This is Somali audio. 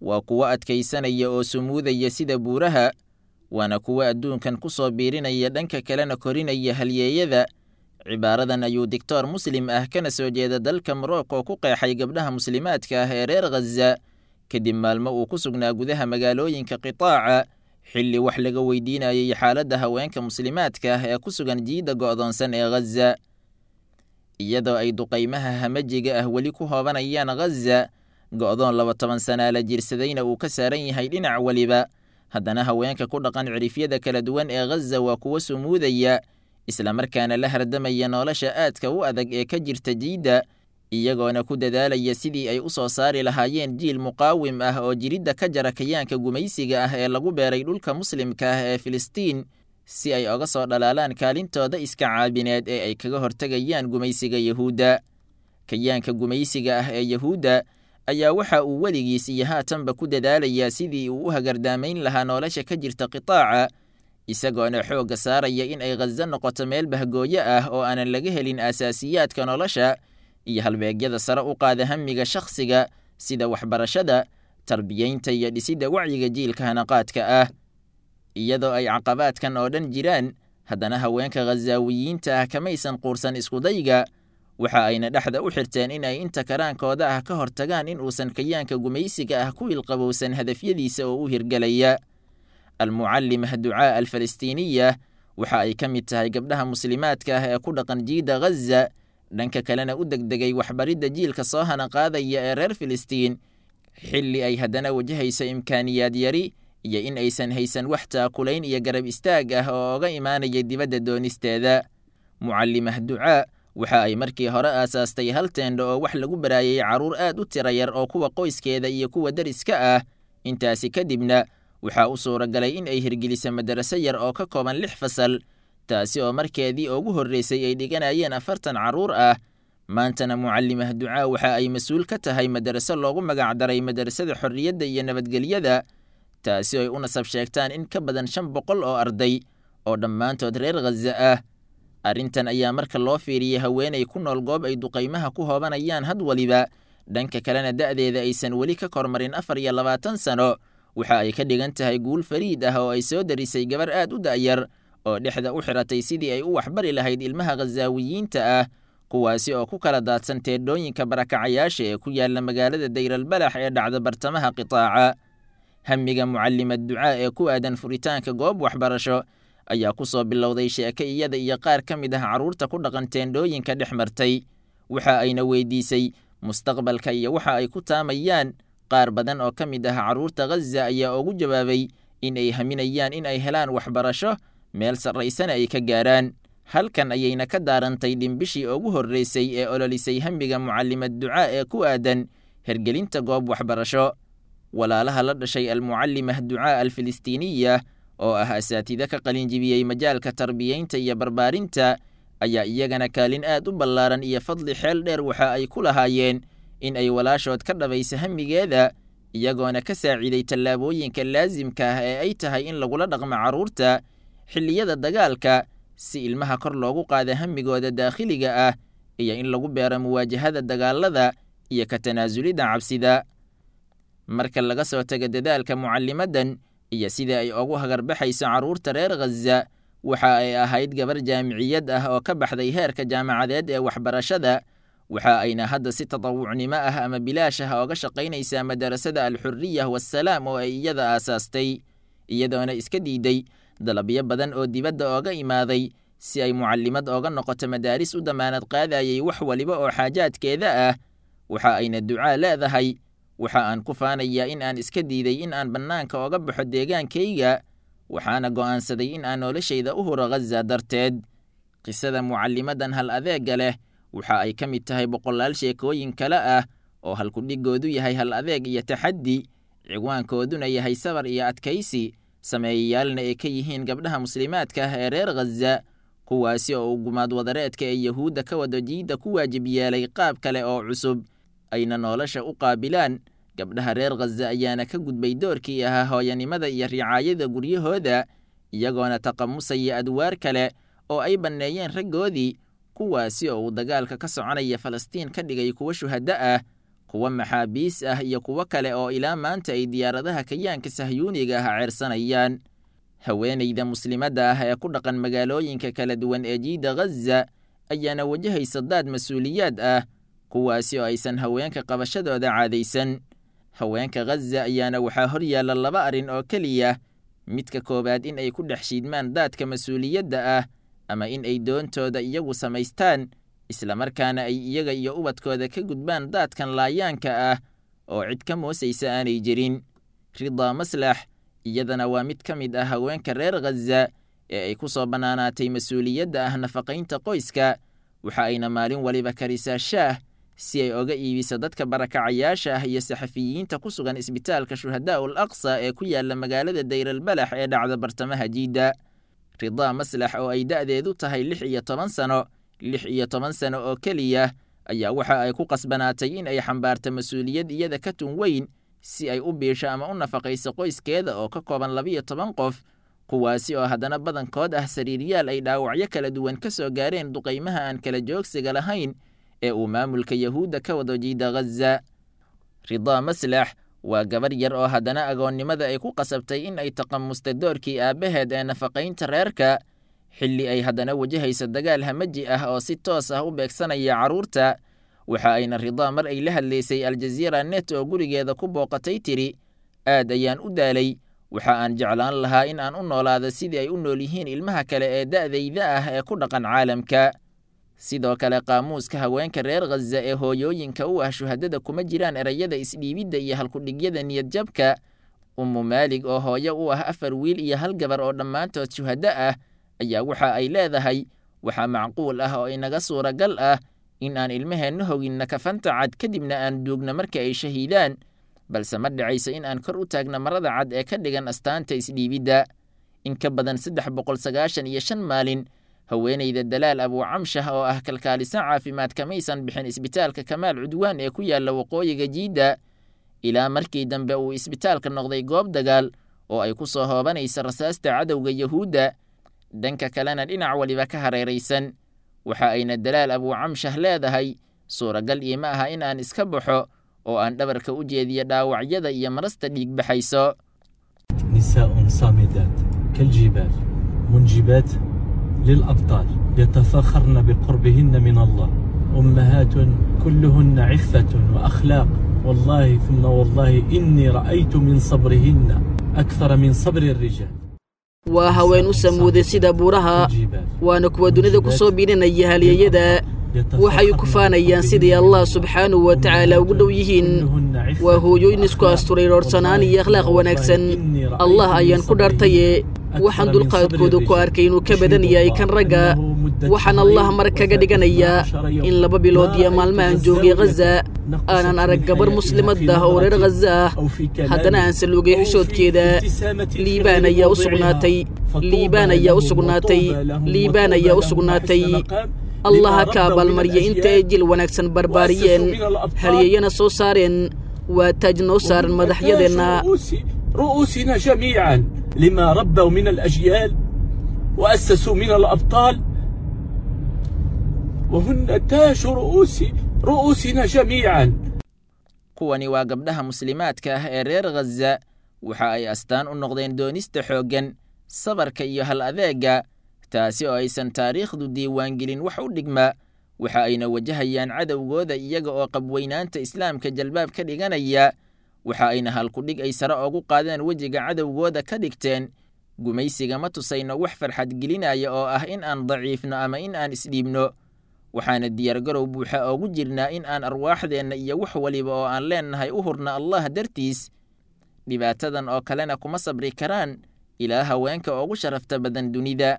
Waa kuwo adkaysanaya oo sumuudaya sida buuraha, waana kuwo adduunkan ku soo biirinaya, dhanka kalena korinaya halyeeyada. Cibaaradan ayuu digtoor muslim ah kana soo jeeda dalka Morocco ku qeexay gabdhaha muslimaadka ah ee reer Ghaza kadib maalmo uu ku sugnaa gudaha magaalooyinka qitaaca, xilli wax laga weydiinayay xaaladda haweenka muslimaadka ah ee ku sugan jiidda go'doonsan ee Ghaza. Iyadoo ay duqaymaha hamajiga ah weli ku hoobanayaan Ghaza, go'doon 20 sanaa la jirsadayna uu ka saaran yahay dhinac weliba, haddana haweenka ku dhaqan cirifyada kala duwan ee Ghaza waa kuwo sumuudaya, islamarkaana la hardamaya nolosha aadka u adag ee ka jirta jiidda, iyagoona ku dadaalaya sidii ay u soo saari lahaayeen jiil muqaawim ah oo jiridda ka jara kayaanka gumaysiga ah ee lagu beeray dhulka muslimka ah ee Filistiin, si ay oga soo dhalaalaan kaalintooda iska caabineed ee ay kaga hortegayaan gumaysiga Yahuudda. Kayaanka gumaysiga ah ee Yahuudda ayaa waxa uu weligiis iyo haatanba ku dadaalayaa sidii uu u hagardaamayn lahaa nolosha ka jirta qitaaca, isagoona xoogga saaraya in ay Ghaza noqoto meel bahgooyo ah oo aanan laga helin aasaasiyaadka nolosha iyo halbeegyada sare u qaada hamiga shakhsiga, sida waxbarashada, tarbiyeynta iyo dhisidda wacyiga jiilka hanaqaadka ah. Iyadoo ay caqabaadkan oo dhan jiraan, haddana haweenka Khazaawiyiinta ah kamaysan quursan iskudayga, waxa ayna dhexda u xirteen in ay inta karaankooda ah ka hortagaan in uusan kayaanka gumaysiga ah ku ilqabowsan hadafyadiisa oo u hirgelaya. Almucallimah Ducaa Alfalastiiniya waxa ay ka mid tahay gabdhaha muslimaadka ah ee ku dhaqan jiidda Ghaza, dhanka kalena u degdegay waxbaridda jiilka soo hanaqaadaya ee reer Filistiin, xilli ay haddana wajahayso imkaaniyaad yari iyo in aysan haysan wax taakulayn iyo garab istaag ah oo oga imaanaya dibadda doonisteeda. Mucallimah Ducaa waxa ay markii hore aasaastay hal teendho oo wax lagu baraayay carruur aad u tira yar oo kuwa qoyskeeda iyo kuwa deriska ah. Intaasi kadibna waxaa u suuragalay in ay hirgeliso madaraso yar oo ka kooban 6 fasal, taasi oo markeedii ugu horreysay ay dhiganayeen 40 carruur ah. Maantana Mucallimah Ducaa waxa ay mas-uul ka tahay madaraso loogu magacdaray Madarasada Xorriyadda iyo Nabadgelyada, taasi oo ay u nasab sheegtaan in ka badan 500 oo arday oo dhammaantood reer Ghaza ah. Arrintan ayaa marka loo fiiriyey haweenay ku nool goob ay duqaymaha ku hoobanayaan had waliba, dhanka kalena da'deeda aysan weli ka kormarin 24 sano, waxa ay ka dhigan tahay guul fariid ah oo ay soo darisay gabar aad u da'yar oo dhexda u xiratay sidii ay u waxbari lahayd ilmaha Khazaawiyiinta ah, kuwaasi oo ku kala daadsan teedhooyinka barakacayaasha ee ku yaala magaalada Dayralbalax ee dhacda bartamaha qitaaca. Hamiga Mucallimad Ducaa ee ku aadan furitaanka goob waxbarasho ayaa ku soo bilowday sheeko iyada iyo qaar ka mid ah carruurta ku dhaqan teendhooyinka dhex martay. Waxa ayna weydiisay mustaqbalka iyo waxa ay ku taamayaan. Qaar badan oo ka mid ah carruurta Ghaza ayaa ugu jawaabay in ay haminayaan in ay helaan waxbarasho, meel sarraysana ay ka gaaraan. Halkan ayayna ka daarantay dhimbishii ugu horreysay ee ololisay hamiga Mucallimad Ducaa ee ku aadan hergelinta goob waxbarasho. Walaalaha la dhashay Almucallimah Ducaa Alfilistiiniya oo ah asaatida ka qalinjibiyey majaalka tarbiyeynta iyo barbaarinta ayaa iyagana kaalin aad u ballaaran iyo fadli xeel dheer waxa ay ku lahaayeen in ay walaashood ka dhabayso hamigeeda, iyagoona ka saaciiday tallaabooyinka laasimka ah ee ay tahay in lagula dhaqmo carruurta xilliyada dagaalka, si ilmaha kor loogu qaado hamigooda daakhiliga ah iyo in lagu beero muwaajahada dagaalada iyo ka tanaasulidda cabsida. Marka laga soo tago dadaalka mucallimadan iyo sida ay ugu hagarbaxayso carruurta reer Ghaza, waxa ay ahayd gabar jaamiciyad ah oo ka baxday heerka jaamacadeed ee waxbarashada, waxa ayna hadda si tatawucnimo ah ama bilaash ah ooga shaqaynaysaa madarasada Alxurriya Wassalaam oo ay iyada aasaastay, iyadoona iska diiday dalabyo badan oo dibadda ooga imaaday si ay mucallimad ooga noqoto madaaris u damaanad qaadayay wax waliba oo xaajaadkeeda ah. Waxa ayna Ducaa leedahay: waxa aan ku faanayaa in aan iska diiday in aan bannaanka oga baxo deegaankayga, waxaana go'aansaday in aan noloshayda u huro Ghaza darteed. Qisada mucallimadan hal adeegga leh waxa ay ka mid tahay boqolaal sheekooyin kale ah oo halkudhigoodu yahay hal adeeg iyo taxaddi, ciwaankooduna yahay sabar iyo adkaysi, sameeyayaalna ay ka yihiin gabdhaha muslimaadka ah ee reer Ghaza, kuwaasi oo uu gumaad wadareedka ee Yahuudda ka wado jiidda ku waajib yeelay qaab kale oo cusub ayna nolosha u qaabilaan. Gabdhaha reer Ghaza ayaana ka gudbay doorkii ahaa hooyanimada iyo ricaayada guryahooda, iyagoona taqamusaya adwaar kale oo ay banneeyeen raggoodii, kuwaasi oo uu dagaalka ka soconaya Falastiin ka dhigay kuwo shuhaddo ah, kuwa maxaabiis ah iyo kuwo kale oo ilaa maanta ay diyaaradaha kayaanka sahyuuniga ah ceersanayaan. Haweenayda muslimadda ah ee ku dhaqan magaalooyinka kala duwan ee jiida Ghaza ayaana wajahaysa daad mas-uuliyaad ah, kuwaasi oo aysan haweenka qabashadooda caadaysan. Haweenka Ghaza ayaana waxaa hor yaalla laba arrin oo keliya: midka koowaad in ay ku dhex shiidmaan daadka mas-uuliyadda ah, ama in ay doontooda iyagu samaystaan, islamarkaana ay iyaga iyo ubadkooda ka gudbaan daadkan laayaanka ah oo cid ka moosaysa aanay jirin. Ridaa Maslax iyadana waa mid ka mid ah haweenka reer Ghaza ee ay ku soo bannaanaatay mas-uuliyadda ah nafaqaynta qoyska. Waxa ayna maalin waliba karisaa shaah si ay oga iibiso dadka barakacayaasha ah iyo saxafiyiinta ku sugan isbitaalka Shuhadaa ul Aqsa ee ku yaalla magaalada Dayralbalax ee dhacda bartamaha Jiidda. Ridaa Maslax oo ay da'deedu tahay 16 sano, 16 sano oo keliya, ayaa waxa ay ku qasbanaatay in ay xambaarto mas-uuliyad iyada ka tun weyn si ay u biisho ama u nafaqayso qoyskeeda oo ka kooban 12 qof, kuwaasi oo haddana badankood ah sariiryaal ay dhaawacyo kala duwan ka soo gaareen duqaymaha aan kala joogsiga lahayn ee uu maamulka Yahuudda ka wado jiida Ghaza. Ridaa Maslax waa gabar yar oo haddana agoonnimada ay ku qasabtay in ay taqamusta doorkii aabbaheed ee nafaqaynta reerka, xilli ay haddana wajahayso dagaal hamaji ah oo si toos ah u beegsanaya carruurta. Waxa ayna Ridaa mar ay la hadlaysay Aljaziira Net oo gurigeeda ku booqatay tiri: aad ayaan u daalay, waxa aan jeclaan lahaa in aan u noolaado sidii ay u nool yihiin ilmaha kale ee da'dayda ah ee ku dhaqan caalamka. Sidoo kale qaamuuska haweenka reer Ghaza ee hooyooyinka u ah shuhadada kuma jiraan erayada isdhiibidda iyo halkudhigyada niyadjabka. Ummu Maalig oo hooyo u ah 4 wiil iyo 1 gabar oo dhammaantood shuhado ah ayaa waxa ay leedahay: waxaa macquul ah oo inaga suuragal ah in aan ilmaheenna hoginna kafanta cad kadibna aan duugno marka ay shahiidaan, balse ma dhacayso in aan kor u taagno marada cad ee ka dhigan astaanta isdhiibidda. In ka badan 395 maalin, haweenayda Dalaal Abuucamshah oo ah kalkaaliso caafimaad kamaysan bixin isbitaalka Kamaal Cudwaan ee ku yaalla waqooyiga Jiidda, ilaa markii dambe uu isbitaalka noqday goob dagaal oo ay ku soo hoobanaysa rasaasta cadowga Yahuudda, dhanka kalena dhinac waliba ka hareeraysan. Waxa ayna Dalaal Abuucamshah leedahay: suuragal iima aha in aan iska baxo oo aan dhabarka u jeediyo dhaawacyada iyo marasta dhiig baxayso. نساء صامدات كالجبال، منجبات للأبطال، يتفاخرن بقربهن من الله، أمهات كلهن عفة وأخلاق. والله ثم والله إني رأيت من صبرهن أكثر من صبر الرجال. Waa haween u samuuday sida buuraha, waana kuwa dunida ku soo biirinaya halyeeyada. Waxay ku faanayaan sidai Allah subxaanahu wa tacaala ugu dhow yihiin. Waa hooyooyin isku asturay roorsanaan iyo akhlaaq wanaagsan. Allah ayaan ku dhaartaye, waxaan dulqaadkooda ku arkay inuu ka badan yahay kan ragga. Waxaan Allah mar kaga dhiganayaa in 2 bilood iyo maalmahan joogay Ghaza aanan arag gabar muslimad ah oo reer Ghaza ah, haddana aan saluugay xishoodkeeda. Liibaan ayaa u sugnaatay, liibaan ayaa u sugnaatay, liibaan ayaa u sugnaatay. Allah ha ka abaalmariya inta ay jil wanaagsan barbaariyeen, halyeeyana soo saareen. Waa taaj noo saaran madaxyadeenna. رؤوسنا جميعا لما ربوا من الأجيال وأسسوا من الأبطال، وهن تاج رؤوسنا جميعا. Kuwani waa gabdhaha muslimaadka ah ee reer Ghaza. Waxa ay astaan u noqdeen doonista xooggan, sabarka iyo hal adeegga, taasi oo aysan taariikhdu diiwaangelin wax u dhigma. Waxa ayna wajahayaan cadowgooda iyaga oo qabweynaanta islaamka jalbaab ka dhiganaya. Waxa ayna halkudhig ay sare ugu qaadeen wejiga cadowgooda ka dhigteen: gumaysiga ma tusayno wax farxad gelinaya oo ah in aan daciifno ama in aan isdhiibno. Waxaana diyaargarow buuxa oogu jirnaa in aan arwaaxdeenna iyo wax waliba oo aan leennahay u hurna Allah dartiis. Dhibaatadan oo kalena kuma sabri karaan ilaa haweenka ugu sharafta badan dunida.